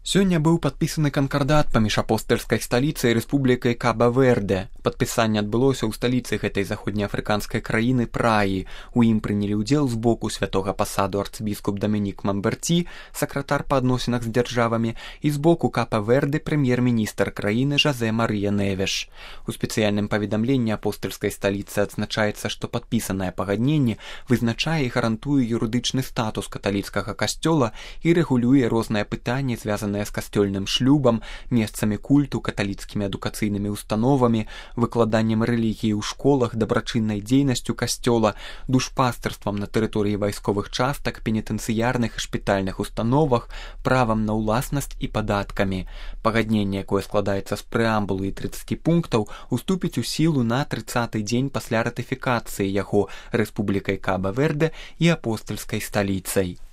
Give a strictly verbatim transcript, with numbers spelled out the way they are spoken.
Сёння быў падпісаны канкардат паміж апостальскай сталіцай і рэспублікай Каба-Верде. Падпісанне адбылося ў сталіцы гэтай заходнеафрыканскай краіны Праі. У ім прынялі ўдзел з боку святога пасаду арцыбіскуп Дамінік Мамберці, сакратар па адносінах з дзяржавамі, і з боку Каба-Верде прэм'ер-міністр краіны Жозе Марыя Невеш. У спецыяльным паведамленні апостальскай сталіцы адзначаецца, што падпісанае пагадненне вызначае і гарантуе юрыдычны статус каталіцкага касцёла і рэгулюе розныя пытанні, звязаныя з касцёльным шлюбам, месцамі культу, каталіцкімі адукацыйнымі установамі, выкладаннем рэлігіі ў школах, дабрачыннай дзейнасцю касцёла, душпастырствам на тэрыторыі вайсковых частак, пенітэнцыярных і шпітальных установах, правам на ўласнасць і падаткамі. Пагадненне, якое складаецца з прэамбулы і трыццаці пунктаў, уступіць у сілу на трыццаты дзень пасля ратыфікацыі яго Рэспублікай Каба-Верде і апостальскай сталіцай.